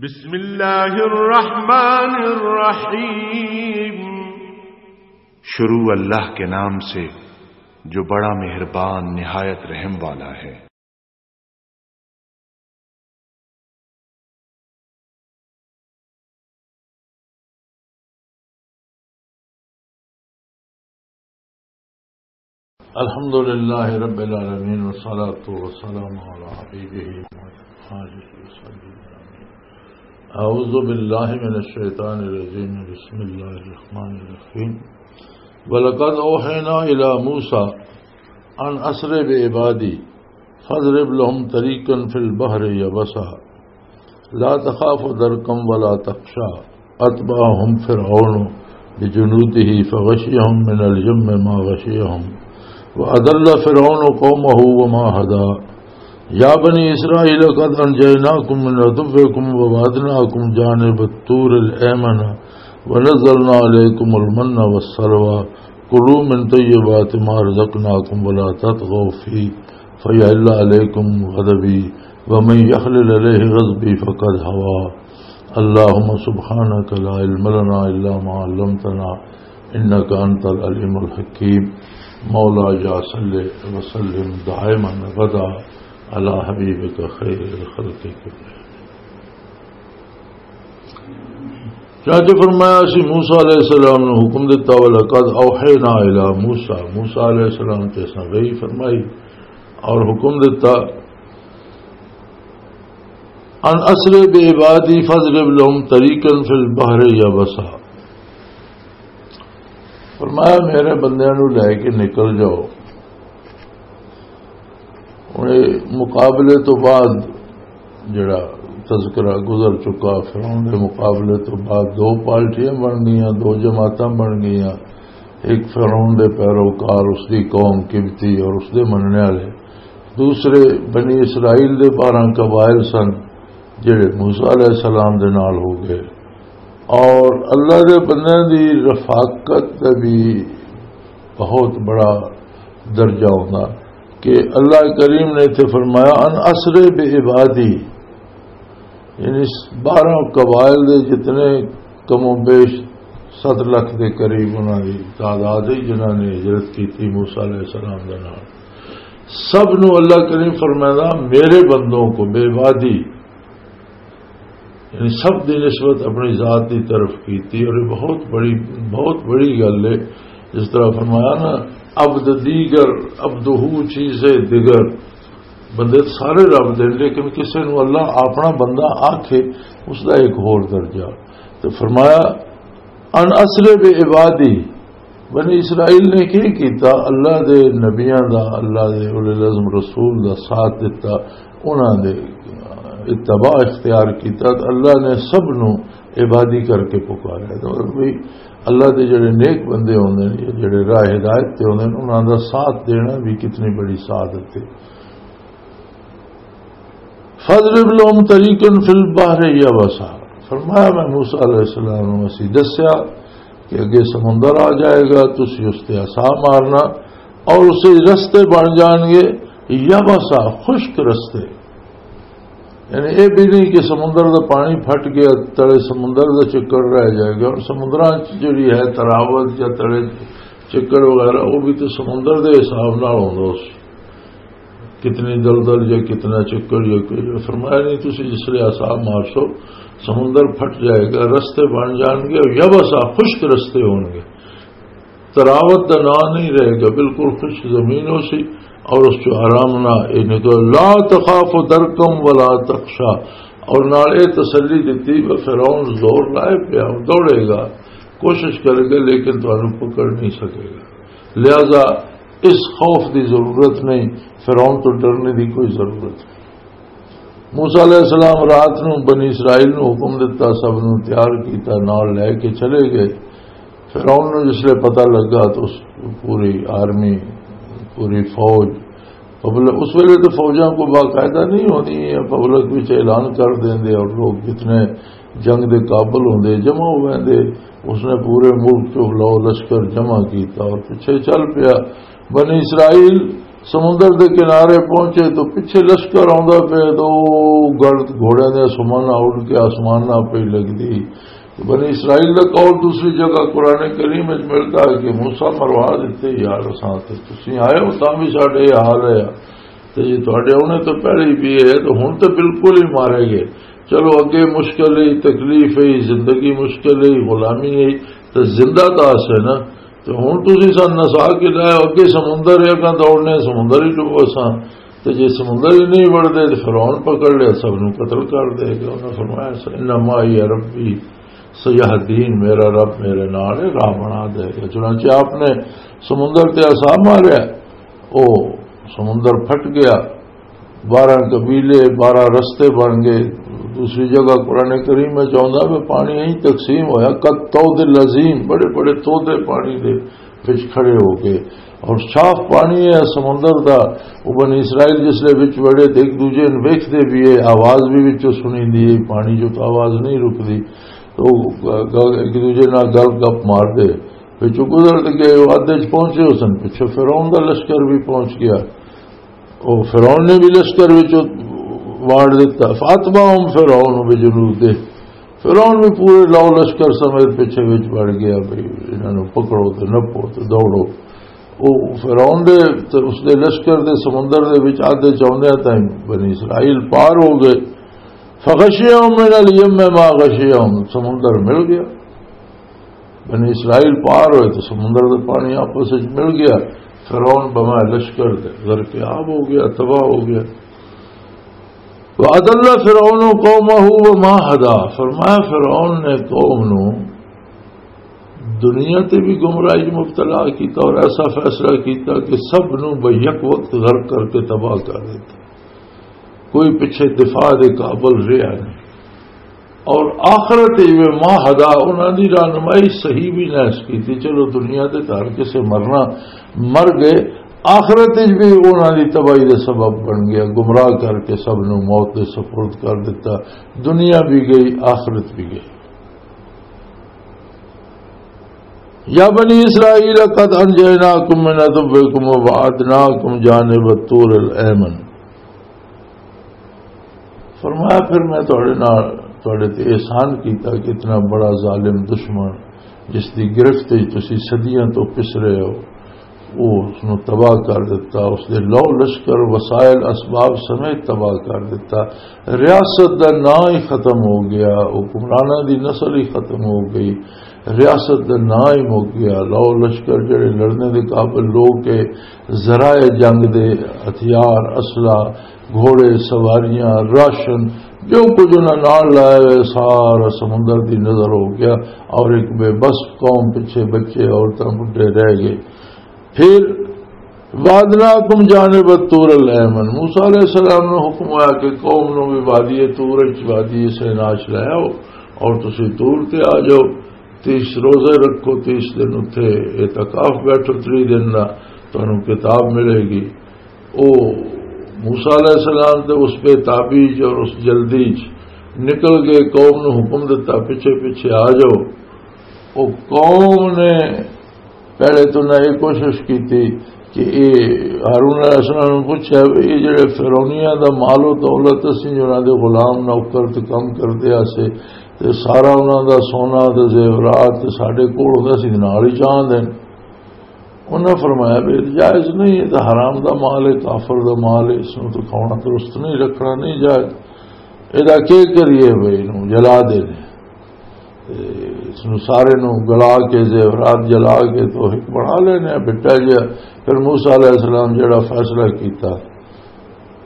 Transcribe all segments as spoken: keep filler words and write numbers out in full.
بسم اللہ الرحمن الرحیم۔ شروع اللہ کے نام سے، جو بڑا مہربان، نہایت رحم والا ہے۔ الحمد لله رب العالمين، والصلاة والسلام على حبيبه محمد وآله وصحبه أجمعين. أعوذ بالله من الشيطان الرجيم. بسم الله الرحمن الرحيم. ولقد أوحينا إلى موسى أن أسر بعبادي فاضرب لهم طريقا في البحر يبسا لا تخاف دركا ولا تخشى. أتبعهم فرعون بجنوده فغشيهم من اليم ما غشيهم. وأضل فرعون قومه وما هدى. يا بني إسرائيل قد أنجيناكم من عدوكم وبعدناكم جانب الطور الأيمن ونزلنا عليكم المن والسلوى. كلوا من طيبات ما رزقناكم ولا تطغوا فيه فيحل عليكم غضبي ومن يحلل عليه غضبي فقد هوى. اللهم سبحانك لا علم لنا إلا ما علمتنا إنك أنت العليم الحكيم. مولاي صل وسلم دائما أبدا على حبيبك خير الخلق كلهم. چنانچہ فرمایا، اسی موسیٰ علیہ السلام نو حکم دیتا، وَلَقَدْ أَوْحَيْنَا إِلَىٰ مُوسَىٰ، موسیٰ علیہ السلام تے اساں وحی فرمائی اور حکم دیتا، أَنْ أَسْرِ بِعِبَادِي فَاضْرِبْ لَهُمْ طَرِيقًا فِي الْبَحْرِ يَبَسًا۔ فرمایا، میرے بندیاں نو لے کے نکل جاؤ۔ ہن اے مقابلے تو بعد جڑا تذکرہ گزر چکا، فرعون دے مقابلے تو بعد دو پارٹیاں بن گئیاں، دو جماعتاں بن گئیاں۔ ایک فرعون دے پیروکار، اس دی قوم قبطی اور اس دے مننے والے۔ دوسرے بنی اسرائیل دے بارہ قبائل سن، جڑے موسیٰ علیہ السلام دے نال ہو گئے۔ اور اللہ دے بندیاں دی رفاقت دا بھی بہت بڑا درجہ ہوندا کہ اللہ کریم نے اتھے فرمایا، ان اسر بعبادی، یعنی بارہ قبائل دے جتنے کم و بیش ست لکھ دے قریب انہاں دی تعداد ہے جنہاں نے ہجرت کیتی موسیٰ علیہ السلام دے نال۔ سب نو اللہ کریم فرمائندا، میرے بندوں کو، بعبادی، یعنی سب دی نسبت اپنی ذات دی طرف کیتی، اور یہ بہت بڑی، بہت بڑی گل ہے۔ جس طرح فرمایا نا، عبد دیگر، عبدہ چیز دیگر، بندے تے سارے رب دے، لیکن کسے نو اللہ اپنا بندہ آکھے، اس دا ایک ہور درجہ۔ تو فرمایا، ان اسر بعبادی، بنی اسرائیل نے کی کیتا؟ اللہ دے نبیاں دا، اللہ دے اولی العزم رسول دا ساتھ دتا، انہاں دے اتباع اختیار کیتا، تے اللہ نے سب نو عبادی کر کے پکاریا۔ تو بھئی، اللہ دے جڑے نیک بندے ہوندے نے، جڑے راہ ہدایت تے ہوندے نے، انہاں دا ساتھ دینا بھی کتنی بڑی سعادت ہے۔ فَاضْرِبْ لَهُمْ طَرِيقًا فِي الْبَحْرِ يَبَسًا۔ فرمایا، میں موسیٰ علیہ السلام نو اسی دسیا کہ اگے سمندر آ جائے گا، تسی اس تے عصا مارنا اور اسے رستے بن جان گے، یبسا، خشک رستے۔ یعنی اے بھی نہیں کہ سمندر دا پانی پھٹ گیا، تلے سمندر دا چکڑ رہ جائے گا۔ اور سمندراں چ جڑی ہے تراوت یا تلے چکڑ وغیرہ، وہ بھی تو سمندر دے حساب نال ہوندا اس۔ کتنی دلدل یا کتنا چکر یا کوئی، فرمایا نہیں، تسی جس لے عصا مارسو، سمندر پھٹ جائے گا، رستے بن جان گے، اور یبسا، خشک رستے ہون گے۔ تراوت دا نام نہیں رہے گا، بالکل خشک زمین ہو سی، اور اس چ آرام نہ اے نکل۔ لا تخاف درکم ولا تخشا، اور نال اے تسلی دتی، وہ فرعون زور لائے پیا، دوڑے گا، کوشش کرے گا، لیکن تانوں پکڑ نہیں سکے گا۔ لہذا اس خوف دی ضرورت نہیں، فرعون تو ڈرنے دی کوئی ضرورت نہیں۔ موسیٰ علیہ السلام رات نو بنی اسرائیل نو حکم دتا، سب نو تیار کیتا، نال لے کے چلے گئے۔ فرعون نو جس لے پتہ لگا تو اس پوری آرمی، پوری فوج، پبلک، اس ویلے تو فوجاں کو باقاعدہ نہیں ہونی، پبلک وچ اعلان کر دیندے اور لوگ جتنے جنگ دے قابل ہوندے، جمع ہو ویندے۔ اس نے پورے ملک چوں لو لشکر جمع کیتا اور پچھے چل پیا۔ بنی اسرائیل سمندر دے کنارے پہنچے تو پچھے لشکر آوندا پیا، تو او گرد گھوڑیاں دے سمن اڑ کے آسمان نال پئی لگدی۔ بنی اسرائیل دا قول دوسری جگہ قرآن کریم وچ ملدا ہے کہ موسیٰ مروا دتے یار، اساں تے تسی آئے ہو تاں بھی ساڈے یہ حال ہے۔ تے جے تہاڈے آنے تو پہلے ہی پیے ہے تو ہن تے بالکل ہی مارے گئے۔ چلو اگے مشکل ہے، تکلیف ہے، زندگی مشکل ہے، غلامی ہے، تے زندہ تاں اسے نا۔ تے ہن تسی سن نسا کے لائے ہو، اگے سمندر ہے، اگاں دوڑنے سمندر ہی ڈوبو اساں۔ تے جے سمندر ہی نہیں وڑدے تے فرعون پکڑ لیا، سب نوں قتل کر دے گا۔ انہاں فرمایا، "انما معی ربی سیہدین"، میرا رب میرے نال ہے، راہ بنا دے گا۔ چنانچہ آپ نے سمندر تے عصا ماریا، او سمندر پھٹ گیا، بارہ قبیلے، بارہ رستے بن گئے۔ دوسری جگہ قرآن کریم میں چاہتا ہے پانی یہیں تقسیم ہویا، قد طود العظیم، بڑے بڑے تودے پانی دے وچ کھڑے ہو گئے۔ اور صاف پانی ہے سمندر دا۔ وہ بنی اسرائیل جس لے وچ وڑے تے ایک دوجے نوں ویکھدے بھی ہے، آواز بھی وچوں سنیندی ہے، پانی جو تو آواز نہیں رکدی۔ تو گ-، گ-، ایک دوجے نال گل گپ مار دے، وچوں گزر تے گئے، وہ ادھے چ پہنچے ہو سن، پچھوں فرعون دا لشکر بھی پہنچ گیا۔ او فرعون نے بھی لشکر وچ وانڈ دتا۔ فاتبعهم فرعون بجنوده، فرعون بھی پورے لاؤ لشکر سمیت پیچھے وچ وڑ گیا، بھئی انہاں نوں پکڑو تے نپو تے دوڑو۔ او فرعون دے تے اس دے لشکر دے سمندر دے وچ آدھے چوندیاں تائیں بنی اسرائیل پار ہو گئے۔ فغشیہم من الیم ما غشیہم، سمندر مل گیا۔ بنی اسرائیل پار ہوئے تو سمندر دا پانی آپس وچ مل گیا۔ فرعون بما لشکر دے غرق آب ہو گیا، تباہ ہو گیا۔ وَأَضَلَّ فِرْعَوْنُ قَوْمَهُ وَمَا هَدَىٰ، فرمایا فرعون نے قوم نو دنیا تے بھی گمراہی مبتلا کیتا اور ایسا فیصلہ کیتا کہ سب نو بیک وقت غرق کر کے تباہ کر دیتا، کوئی پچھے دفاع دے قابل رہا نہیں۔ اور آخرت وچ وی ما ہدا، انہاں دی رہنمائی صحیح بھی نہ اس کیتی۔ چلو دنیا دے تر کسے مرنا مر گئے، آخرت وچ بھی انہاں دی تباہی دا سبب بن گیا، گمراہ کر کے سب نو موت دے سپرد کر دتا۔ دنیا بھی گئی، آخرت بھی گئی۔ یا بنی اسرائیل قد انجیناکم من عدوکم وبعدناکم جانب الطور الایمن۔ فرمایا، پھر میں تہاڈے نال، تہاڈے تے احسان کیتا کہ اتنا بڑا ظالم دشمن جس دی گرفت وچ تسی صدیاں تو پس رہے ہو، وہ اس نو تباہ کر دیتا، اس دے لو لشکر، وسائل، اسباب سمیت تباہ کر دیتا۔ ریاست دا نام ہی ختم ہو گیا، حکمراناں دی نسل ہی ختم ہو گئی، ریاست دا نام ہی مک گیا۔ لو لشکر جڑے لڑنے دے قابل لوگ کے، ذرائع جنگ دے ہتھیار، اسلحہ، گھوڑے، سواریاں، راشن، جو کچھ انہاں نال لائے ہوئے، سارا سمندر دی نظر ہو گیا اور ایک بے بس قوم، پیچھے بچے، عورتاں، بڈھے رہ گئے۔ پھر وادناکم جانب الطور الایمن، موسیٰ علیہ السلام نو حکم ہوا کہ قوم نو بھی وادی طور وچ، وادی سینا چ لے آؤ اور تسی طور تے آ جاؤ، تیس روزے رکھو، تیس دن اتھے اعتکاف بیٹھو، تری دن دا تانوں کتاب ملے گی۔ او موسیٰ علیہ السلام تے اس بے تابی چ اور اس جلدی چ نکل گئے، قوم نو حکم دتا، پیچھے پیچھے آ جاؤ۔ او قوم نے پہلے تو نہ یہ کوشش کیتی کہ اے ہارون علیہ السلام نے پوچھا، "اے جڑے فرعونیاں دا مال و دولت اسی جو انہاں دے غلام نوکر تے کم کردے آسے، تے سارا انہاں دا سونا تے زیورات تے ساڈے کول ہوندا سی، نال ہی چاہندے نے۔" انہاں فرمایا، "بھی جائز نہیں، یہ تو حرام دا مال ہے، کافر دا مال ہے، اس نوں تو کھانا درست نہیں، رکھنا نہیں جائز۔ ادا کی کریے بھائی، نوں جلا دے نے۔" تے اس نوں سارے نوں گلا کے، زیورات جلا کے تو ایک بنا لینے ہیں، بٹا جیا۔ پھر موسیٰ علیہ السلام جڑا فیصلہ کیتا،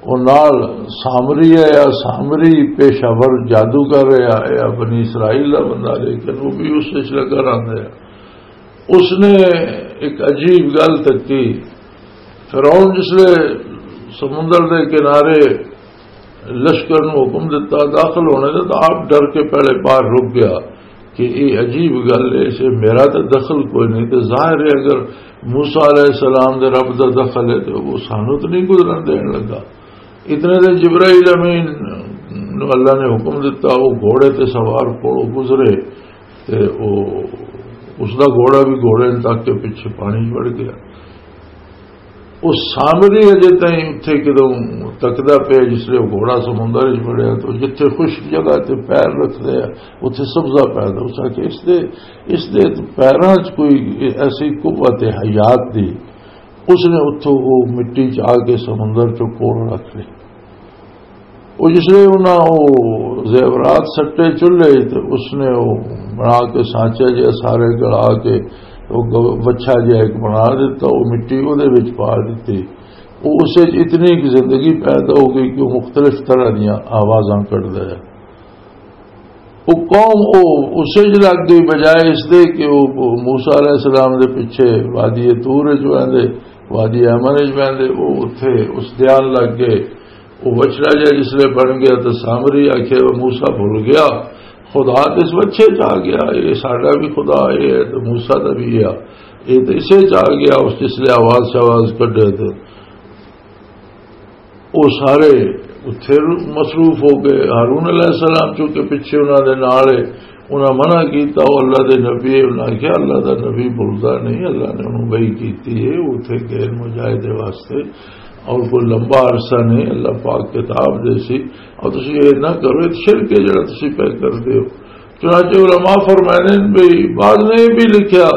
او نال سامری ہے یا سامری پیشہ ور جادوگر ہے یا، یا بنی اسرائیل دا بندہ، لیکن وہ بھی اس وچ لگا رہندا ہے۔ اس نے ایک عجیب گل تکی۔ فرعون جس لے سمندر دے کنارے لشکر نو حکم دتا داخل ہونے دا، تو آپ ڈر کے پہلے باہر رک گیا کہ یہ عجیب گل ہے، اسے میرا تو دخل کوئی نہیں۔ تو ظاہر ہے اگر موسیٰ علیہ السلام دے رب دا دخل ہے تو وہ سانو تو نہیں گزرن دین لگا۔ اتنے دے جبرائیل امین نو اللہ نے حکم دتا، وہ گھوڑے تے سوار کوڑوں گزرے، تے او، اس دا گھوڑا بھی گھوڑے نے تک کے پیچھے پانی چ وڑ گیا۔ وہ سامری اجے تائیں اتھے کدوں تکدا پیا، جس لے وہ گھوڑا سمندر وچ وڑیا، تو جتھے خشک جگہ تے پیر رکھدے آ، اتھے سبزہ پیدا ہو سکے۔ اس دے، اس دے پیراں 'چ کوئی ایسی قوت حیات دی، اس نے اتھوں وہ مٹی 'چ آ کے سمندر 'چوں کوڑ رکھ لے۔ وہ جس لے انہاں وہ زیورات سٹے چولہے، تے اس نے وہ بنا کے سانچا جہا سارے گلا کے وہ گ-، وچھا جہا ایک بنا دیتا، وہ مٹی وہ دے وچ پا دیتی۔ وہ اس وچ اتنی ایک زندگی پیدا ہو گئی کہ وہ مختلف طرح دیاں آوازاں کڈدا ہے۔ وہ قوم وہ اسے لگ گئی، بجائے اس دے کہ وہ موسیٰ علیہ السلام دے پیچھے وادی طور وچ ویندے، وادی ایمن وچ ویندے، وہ اتھے اس دھیان لگ گئے۔ وہ وچھڑا جہا جس لے بن گیا تو سامری آکھیا، "وہ موسیٰ بھول گیا، خدا تے اس وچھے چ آ گیا، یہ ساڈا بھی خدا یہ ہے تو موسیٰ دا بھی ہے، یہ تو اسے چ آ گیا۔" اس جس لے آواز شواز کڈے تو وہ سارے اتھے مصروف ہو گئے۔ ہارون علیہ السلام چونکہ پیچھے انہاں دے نال ہے، انہاں منع کیتا، "او اللہ دے نبی ہے۔" انہاں کہا، "اللہ دا نبی بولدا نہیں، اللہ نے انہوں وحی کیتی ہے، اتھے گئے مجاہدے واسطے، اور کوئی لمبا عرصہ نہیں، اللہ پاک کتاب دے سی، اور تسی یہ نہ کرو، یہ شرک ہے جڑا تسی پہ کردے ہو۔" چنانچہ علماء فرمائے نے بھی، بعد میں یہ بھی لکھا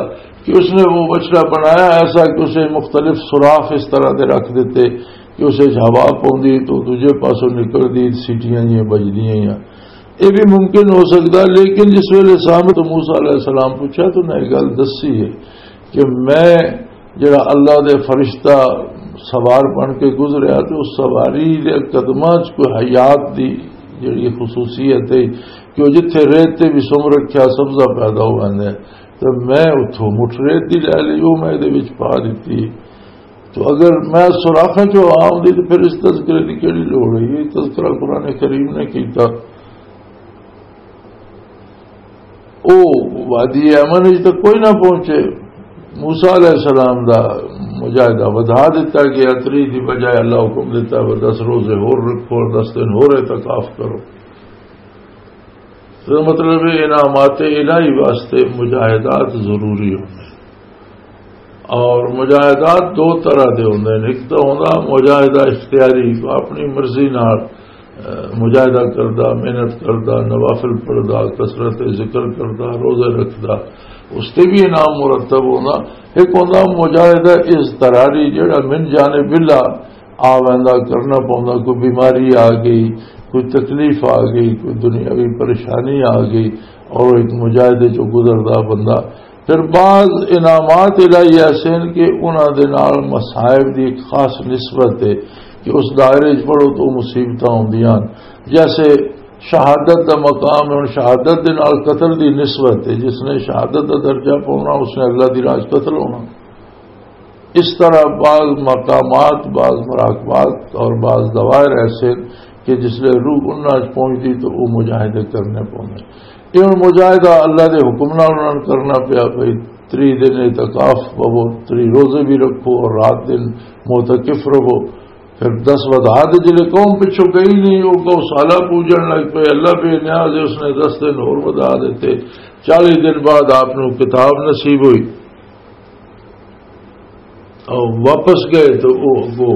کہ اس نے وہ بچڑا بنایا ایسا کہ اسے مختلف سوراخ اس طرح دے رکھ دیتے کہ اسے ہوا پوندی تو دوجے پاسوں نکلدی، سیٹیاں جیاں بجدیاں یا یہ بھی ممکن ہو سکتا۔ لیکن جس ویلے سامنے تو موسیٰ علیہ السلام پوچھا تو انہیں یہ گل دسی ہے کہ میں جڑا اللہ دے فرشتہ سوار بن کے گزریا تو اس سواری دے قدماں 'چ کوئی حیات دی جڑی خصوصیت ہے کہ وہ جتھے ریت تے بھی سم رکھیا سبزہ پیدا ہو ویندا ہے۔ تو میں اتھوں مٹھ ریت دی لے لئی، وہ میں دے وچ پا دتی۔ تو اگر میں سوراخاں چوں آوندی تو پھر اس تذکرے دی کیڑی لوڑ ہے؟ یہ تذکرہ قرآن کریم نے کیتا۔ او وادی ایمن وچ تاں کوئی نہ پہنچے۔ موسیٰ علیہ السلام دا مجاہدہ ودھا دتا گیا، تری دی بجائے اللہ حکم دیتا، "وہ دس روزے ہور رکھو اور دس دن ہور اعتکاف کرو۔" تو مطلب ہے، انعامات الہی واسطے مجاہدات ضروری ہوندے۔ اور مجاہدات دو طرح دے ہوندے نے۔ ایک تو ہوندا مجاہدہ اختیاری، اپنی مرضی نال، اہ، مجاہدہ کردا، محنت کردا، نوافل پڑھدا، کثرت ذکر کردا، روزے رکھدا، اس تے بھی انعام مرتب ہوندا۔ ایک ہوندا مجاہدہ اضطراری، جڑا من جانب اللہ آ ویندا، کرنا پوندا، کوئی بیماری آ گئی، کوئی تکلیف آ گئی، کوئی دنیاوی پریشانی آ گئی، اور ایک مجاہدے چوں گزردا بندہ۔ پھر بعض انعامات الہی ایسے ہیں کہ انہاں دے نال مصائب دی ایک خاص نسبت ہے کہ اس دائرے 'چ پڑھو تو مصیبتاں ہوندیاں ہن۔ جیسے شہادت دا مقام ہے، ہن شہادت دے نال قتل دی نسبت ہے، جس نے شہادت دا درجہ پاؤنا، اس نے اللہ دی راہ 'چ قتل ہونا۔ اس طرح بعض مقامات، بعض مراقبات اور بعض دوائر ایسے ہیں کہ جس لئے روح انہاں وچ پہنچدی تو وہ مجاہدے کرنے پوندے۔ یہ ہن مجاہدہ اللہ دے حکم نال انہاں نوں کرنا پیا، بھئی، تری دن اعتکاف پوو، تری روزے بھی رکھو اور رات دن معتکف رہو۔ پھر دس ودھا دے، جلے قوم پچھوں گئی نہیں، وہ گو سالہ پوجن لگ پئے، اللہ بے نیاز ہے، اس نے دس دن اور ودھا دیتے۔ چالیس دن بعد آپ نوں کتاب نصیب ہوئی۔ اور واپس گئے تو وہ اگو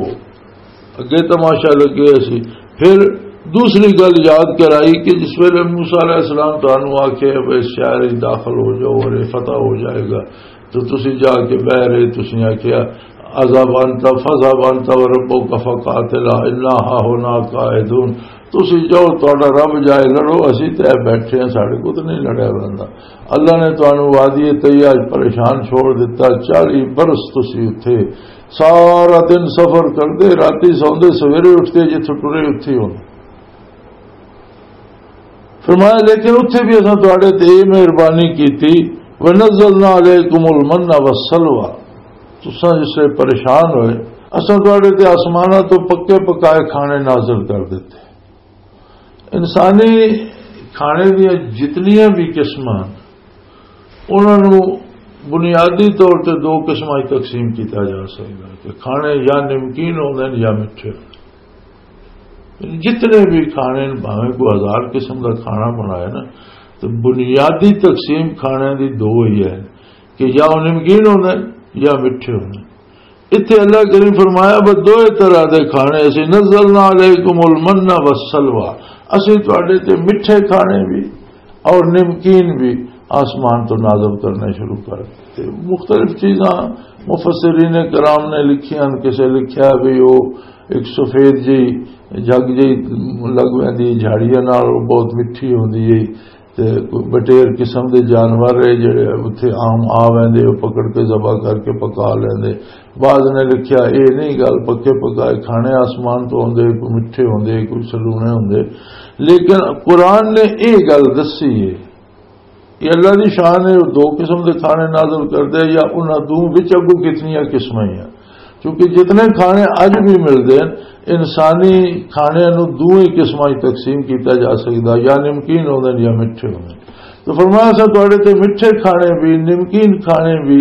اگے تماشا لگے سی۔ پھر دوسری گل یاد کرائی کہ جس ویلے موسیٰ علیہ السلام تانوں آکھے، "بھئی، شہر وچ داخل ہو جاؤ اور یہ فتح ہو جائے گا"، تو تسی جا کے بہ رہے، تسی آکھیا، "اذهب انت، فاذهب انت وربك فقاتلا انا هاهنا قاعدون"، تسی جاؤ، تہاڈا رب جائے لڑو، اسی تے بیٹھے ہیں، ساڈے کو تو نہیں لڑیا بندا۔ اللہ نے تانوں وادی طیبہ پریشان چھوڑ دیتا، چالیس برس تسی اتھے سارا دن سفر کردے، راتی سوندے، سویرے اٹھدے جتھوں ٹرے اتھے ہوندے۔ فرمایا، لیکن اتھے بھی اساں تہاڈے تے یہ مہربانی کیتی، "ونزلنا علیکم المن والسلوی"، تساں جس سے پریشان ہوئے، اساں تہاڈے تے آسماناں تو پکے پکائے کھانے نازل کر دیتے۔ انسانی کھانے دیاں جتنیاں بھی قسماں، انہاں نوں بنیادی طور تے دو قسماں وچ تقسیم کیتا جا سکدا ہے کہ کھانے یا نمکین ہوندے نے یا مٹھے ہوندے نے۔ جتنے بھی کھانے نے، بھاویں کوئی ہزار قسم دا کھانا بنائے نا، تو بنیادی تقسیم کھانے دی دو ہی ہے کہ یا وہ نمکین ہوندے نے یا مٹھے ہوندے نے۔ اتھے اللہ کریم فرمایا، بس دوئے طرح دے کھانے، اسی نزلنا علیکم المن والسلویٰ، اسی تواڈے تے مٹھے کھانے بھی اور نمکین بھی آسمان تو نازل کرنے شروع کر دیتے۔ مختلف چیزاں مفسرین کرام نے لکھیاں، کسے لکھیا بھی وہ ایک سفید جی جگ جی لگ ویندی جھاڑیاں نال، وہ بہت مٹھی ہوندی ہے۔ تے کوئی بٹیر قسم دے جانور ہے جڑے اتھے عام آ ویندے، او پکڑ کے ذبح کر کے پکا لیندے۔ بعض نے لکھیا، اے نہیں گل، پکے پکائے کھانے آسمان تو ہوندے، کوئی مٹھے ہوندے، کوئی سلونے ہوندے۔ لیکن قرآن نے اے گل دسی ہے، یہ اللہ دی شان ہے، وہ دو قسم دے کھانے نازل کردے، یا انہاں دو وچ اگوں کتنیاں قسمیں ہیں۔ کیونکہ جتنے کھانے اج بھی ملدے ہیں، انسانی کھانے نو دوئیں قسماں وچ تقسیم کیتا جا سکدا، یا نمکین ہوندے نے یا مٹھے ہوندے نے۔ تو فرمایا، اساں تواڈے تے مٹھے کھانے بھی، نمکین کھانے بھی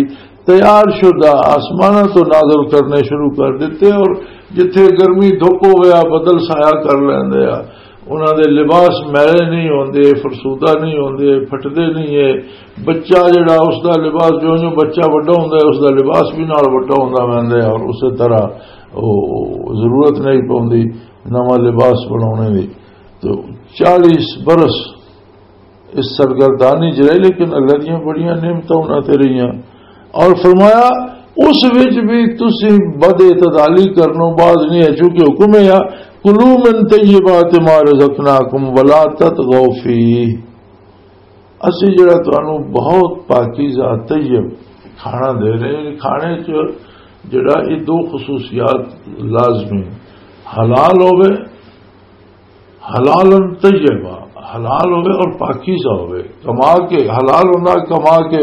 تیار شدہ آسماناں تو نازل کرنے شروع کر دیتے، اور جتھے گرمی دھوپ ہویا، بدل سایہ کر لیندے آ، انہاں دے لباس میلے نہیں ہوندے، فرسودہ نہیں ہوندے، پھٹدے نہیں ہے۔ بچہ جڑا، اس دا لباس، جو جو بچہ وڈا ہوندا ہے، اس دا لباس بھی نال وڈا ہوندا ویندا ہے، اور اسی طرح او ضرورت نہیں پوندی نواں لباس بناونے دی۔ تو چالیس برس اس سرگردانی چ رہے، لیکن اللہ دیاں بڑیاں نعمتاں انہاں تے رہیاں۔ اور فرمایا، اس وچ بھی تسی بد اعتدالی کرنو باز نہیں ہے، چونکہ حکم ہے، کلوا من طیبات ما رزقناکم ولا تطغوا فیہ۔ اسی جڑا تانوں بہت پاکیزہ طیب کھانا دے رہے ہیں، کھانے چ جڑا یہ دو خصوصیات لازمی، حلال ہوے، حلال طیبہ، حلال ہوے اور پاکیزہ ہوے، کما کے، حلال ہونا کما کے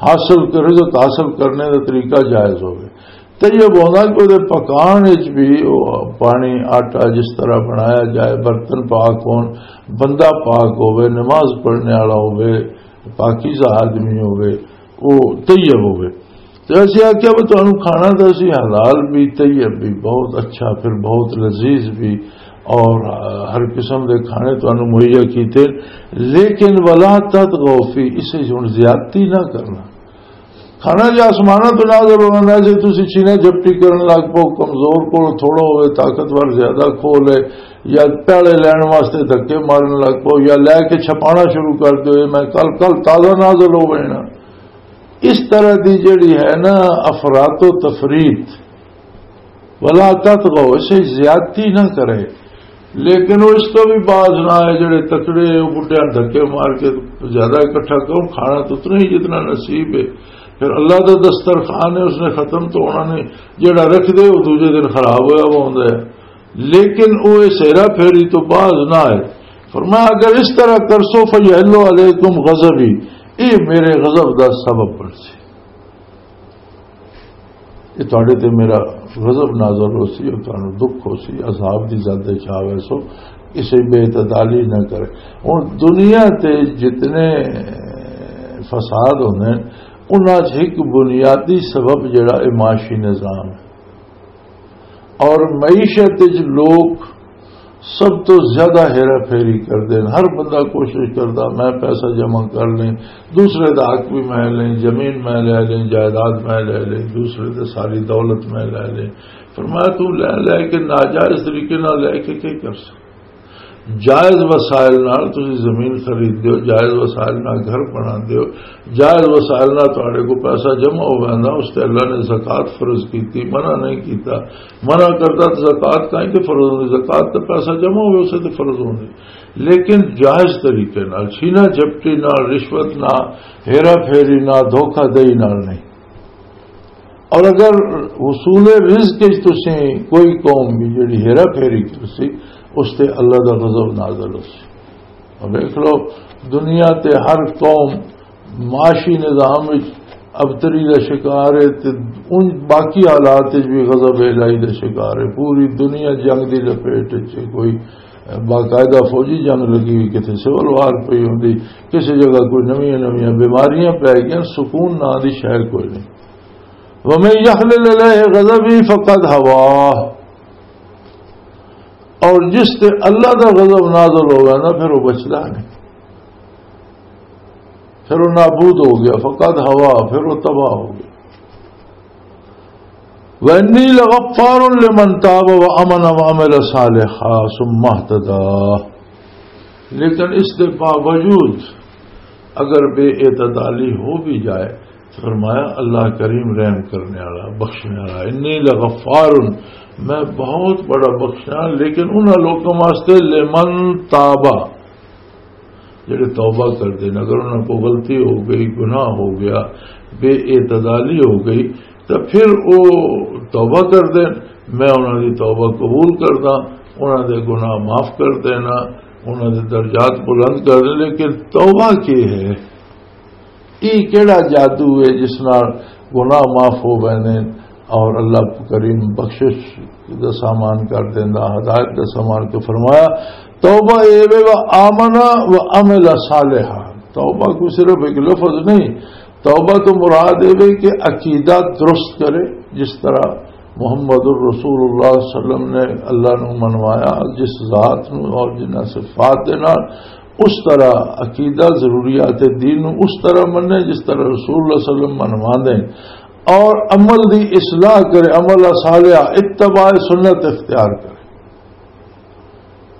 حاصل کر، رزق حاصل کرنے کا طریقہ جائز ہوے۔ طیب ہونا کہ وہ پکان وچ بھی وہ پانی، آٹا جس طرح بنایا جائے، برتن پاک ہون، بندہ پاک ہوے، نماز پڑھنے والا ہوے، پاکیزہ آدمی ہوے، وہ طیب ہوے۔ تو اسی آخیا، وہ تمہیں کھانا تو اسی حلال بھی، طیب بھی، بہت اچھا، پھر بہت لذیذ بھی، اور ہر قسم دے کھانے تمہیں مہیا کیتے، لیکن ولا تطغوا فیہ، اسے ہن زیادتی نہ کرنا۔ کھانا جے آسماناں تو نازل ہونا ہے، جے تسی چھینا جھپٹی کرن لگ پو، کمزور کول تھوڑا ہوئے، طاقتور زیادہ کھول ہے، یا پیالے لین واسطے دھکے مارن لگ پو، یا لے کے چھپانا شروع کر دو، "اے میں کل، کل تازہ نازل ہو گئے نا۔" اس طرح دی جڑی ہے نا افراط و تفریط، ولا تطغوا، اسے زیادتی نہ کرے۔ لیکن وہ اس تو بھی باز نہ آئے، جڑے تکڑے ہیں، وہ بڈیاں دھکے مار کے زیادہ اکٹھا کرو، کھانا تو اتنا ہی جتنا نصیب ہے۔ پھر اللہ دا دسترخوان ہے، اس نے ختم تو ہونا نہیں، جڑا رکھ دے، وہ دوجے دن خراب ہویا وہ ہوندا ہے۔ لیکن وہ اس ہیرا پھیری تو باز نہ آئے۔ فرمایا، اگر اس طرح کرسو، فیحل علیکم غضبی، یہ میرے غضب دا سبب بن سی۔ یہ تواڈے تے میرا غضب نازل ہو سی، اور تانوں دکھ ہو سی، عذاب دی زد وچ آ ویسو، اسے بے اعتدالی نہ کرے۔ ہن دنیا تے جتنے فساد ہوندے ہیں، انہاں چ ایک بنیادی سبب جڑا اے معاشی نظام ہے، اور معیشت وچ لوگ سب تو زیادہ ہیرا پھیری کردے ہیں۔ ہر بندہ کوشش کردا، میں پیسہ جمع کر لیں، دوسرے دا حق بھی میں لیں، زمین میں لے لیں، جائیداد میں لے لیں، دوسرے دے ساری دولت میں لے لیں۔ فرمایا، تو لے لے کے ناجائز طریقے نال لے کے کی کر سکتا؟ جائز وسائل نال تسی زمین خرید دیو، جائز وسائل نال گھر بنا دیو، جائز وسائل نال تہاڈے کو پیسہ جمع ہو ویندا، اس تے اللہ نے زکوٰۃ فرض کیتی، منع نہیں کیتا۔ منع کردا تے زکوٰۃ کائیں تے فرض ہوندی، زکوٰۃ تے پیسہ جمع ہوئے، اسے تے فرض ہوندی۔ لیکن جائز طریقے نال، چھینا جھپٹی نال، رشوت نال، ہیرا پھیری نال، دھوکہ دہی نال نہیں۔ اور اگر حصول رزق وچ تسیں کوئی قوم بھی جڑی ہیرا پھیری کرسی، اس تے اللہ دا غضب نازل ہوسی۔ اور دیکھ لو، دنیا تے ہر قوم معاشی نظام وچ ابتری دا شکار ہے، تے ان باقی حالات وچ بھی غضب الہی دا شکار ہے۔ پوری دنیا جنگ دی لپیٹ وچ ہے۔ کوئی باقاعدہ فوجی جنگ لگی ہوئی، کتھے سول وار پئی ہوندی، کسی جگہ کوئی نویاں نویاں بیماریاں پی گئیاں، سکون ناں دی شے کوئی نہیں۔ وَمَن يَحْلُلْ عَلَيْهِ غَضَبِي فَقَدْ هَوَىٰ، اور جس تے اللہ دا غضب نازل ہو گیا نا، پھر وہ بچدا نہیں، پھر وہ نابود ہو گیا، فقد ہوا، پھر وہ تباہ ہو گیا۔ وَإِنِّي لَغَفَّارٌ لِمَنْ تَابَ وَآمَنَ وَعَمِلَ صَالِحًا ثُمَّ اهْتَدَىٰ۔ لیکن اس کے باوجود اگر بے اعتدالی ہو بھی جائے، فرمایا، اللہ کریم، رحم کرنے والا، بخشنے والا۔ انی لغفار، میں بہت بڑا بخشنا، لیکن انہاں لوکاں واسطے، لمن تابا، جڑے توبہ کر دین۔ اگر انہاں کو غلطی ہو گئی، گناہ ہو گیا، بے اعتدالی ہو گئی، تو پھر وہ توبہ کر دین، میں انہاں دی توبہ قبول کردا، انہاں دے گناہ معاف کر دینا، انہاں دے درجات بلند کر دے۔ لیکن توبہ کی ہے؟ یہ کیڑا جادو ہے جس نال گناہ معاف ہو ویندے اور اللہ کریم بخشش دا سامان کر دیندا، ہدایت دا سامان؟ تو فرمایا، توبہ اے وے، و آمنا و عمل صالحا۔ توبہ کوئی صرف ایک لفظ نہیں، توبہ تو مراد اے وے کہ عقیدہ درست کرے، جس طرح محمد الرسول اللہ صلی اللہ علیہ وسلم نے اللہ نو منوایا، جس ذات نو اور جنہاں صفات دے نال، اس طرح عقیدہ، ضروریات دین نو اس طرح منے جس طرح رسول اللہ صلی اللہ علیہ وسلم منواندے، اور عمل دی اصلاح کرے، عمل صالح، اتباع سنت اختیار کرے۔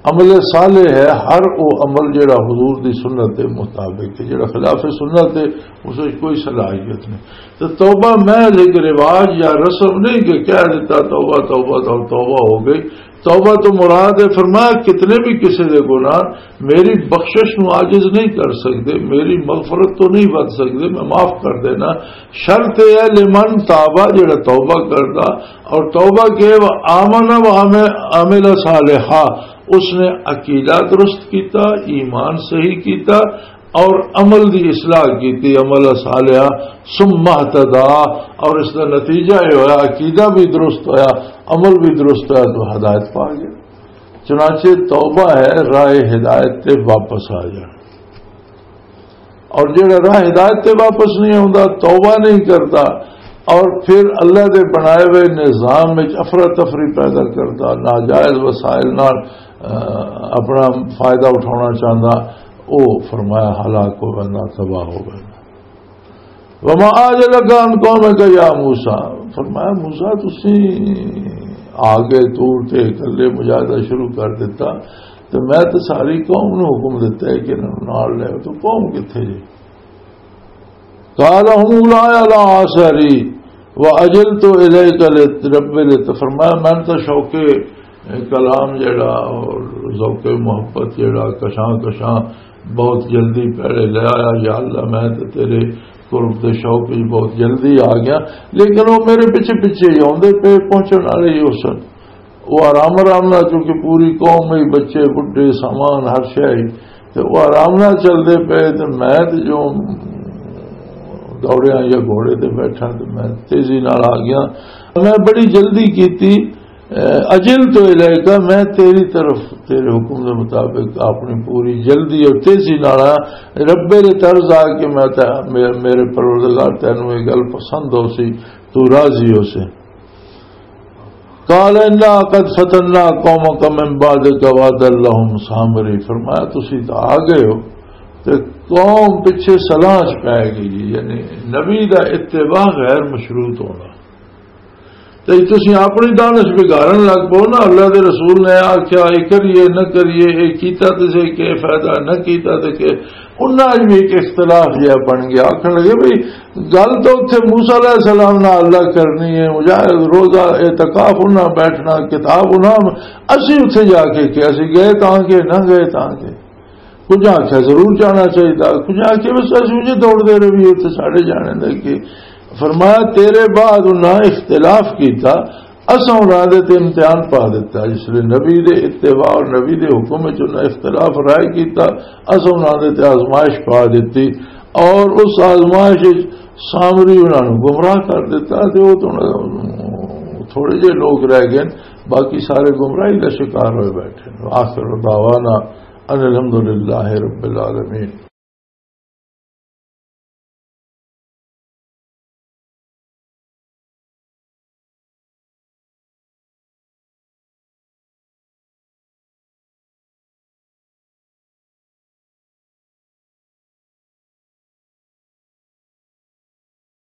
عمل صالح ہے ہر وہ عمل جڑا حضور دی سنت دے مطابق ہے، جڑا خلاف سنت ہے، اس وچ کوئی صلاحیت نہیں۔ تو توبہ محض ایک رواج یا رسم نہیں کہ کہہ دیتا، توبہ، توبہ، توبہ، توبہ ہو گئی۔ توبہ تو مراد ہے، فرمایا، کتنے بھی کسی دے گناہ میری بخشش نو عاجز نہیں کر سکتے، میری مغفرت تو نہیں ود سکتے، میں معاف کر دینا۔ شرط یہ ہے، لمن تابا، جڑا توبہ کردا، اور توبہ کے، و آمن و عمل، عمل صالحا، اس نے عقیدہ درست کیتا، ایمان صحیح کیتا، اور عمل دی اصلاح کیتی، عمل صالحہ، ثم اہتدیٰ، اور اس دا نتیجہ یہ ہویا، عقیدہ بھی درست ہویا، عمل بھی درست ہویا، تو ہدایت پا گیا۔ چنانچہ توبہ ہے راہ ہدایت تے واپس آ جانا، اور جڑا راہ ہدایت تے واپس نہیں آتا، توبہ نہیں کرتا، اور پھر اللہ دے بنائے ہوئے نظام وچ افراتفری پیدا کرتا، ناجائز وسائل نال، آ، اپنا فائدہ اٹھانا چاہتا، او، فرمایا، ہلاک ہو گیا، تباہ ہو گیا۔ وما اعجلک عن قومک یا موسیٰ، فرمایا، موسیٰ، تسی آ گئے طور تے، اکلے مجاہدہ شروع کر دیتا، تے میں تے ساری قوم نو حکم دیتا ہے کہ انہاں نوں نال لے، تو قوم کتھے جے؟ قال هم اولاء على آثاری واجلت الیک رب لت، فرمایا، میں تو شوق کلام جڑا اور ذوق محبت جڑا کشاں کشاں بہت جلدی پہلے لے آیا، یا اللہ، میں تے تیرے قرب دے شوق وچ بہت جلدی آ گیا، لیکن وہ میرے پیچھے پیچھے ہی آوندے پے، پہنچن والے ہی ہو سن۔ وہ آرام آرام نال، چونکہ پوری قوم ہی، بچے، بڈھے، سامان، ہر شے ہی، تے وہ آرام نال چلدے پے، تے میں تے جو دوڑیاں یا گھوڑے تے بیٹھا، تے میں تیزی نال آ گیا۔ میں بڑی جلدی کیتی، اجل تو الیک، میں تیری طرف، تیرے حکم دے مطابق اپنی پوری جلدی اور تیزی نال آیا۔ رب دے طرز آ کے میں تے، مے-، میرے پروردگار، تینوں یہ گل پسند ہو سی، تو راضی ہو سے۔ قال انا قد فتنا قومک من بعدک وعدا لهم سامری، فرمایا، تسی تو آ گئے ہو تے قوم پیچھے سلاح چ پے گئی ہے، یعنی نبی دا اتباع غیر مشروط ہونا۔ تے تسی اپنی دانش بگاڑن لگ پو نا، اللہ دے رسول نے آکھیا، اے کریے، نہ کریے، اے کیتا تے سے کیا فائدہ، نہ کیتا تے کیا۔ انہاں وچ بھی ایک اختلاف جہا بن گیا، آکھن لگے، بھئی، گل تو اتھے موسیٰ علیہ السلام نال اللہ کرنی ہے، مجاہد، روزہ، اعتکاف، انہاں بیٹھنا، کتاب انہاں، اسی اتھے جا کے کیا سی، گئے تاں کے، نہ گئے تاں کے۔ کچھ آکھیا ضرور جانا چاہیے، کچھ آکھیا بس اسی وجہ دوڑ دے رہی ہے، اتھے ساڑے جانے دا کی۔ فرمایا، تیرے بعد انہاں اختلاف کیتا، اساں انہاں دے تے امتحان پا دیتا، اس لیے نبی دے اتباع اور نبی دے حکم وچ انہاں اختلاف رائے کیتا، اساں انہاں دے تے آزمائش پا دیتی، اور اس آزمائش وچ سامری انہاں نوں گمراہ کر دیتا، تے وہ تو تھوڑے جے لوگ رہ گئے، باقی سارے گمراہی دا شکار ہوئے بیٹھے۔ آخر دعوانا ان الحمدللہ رب العالمین۔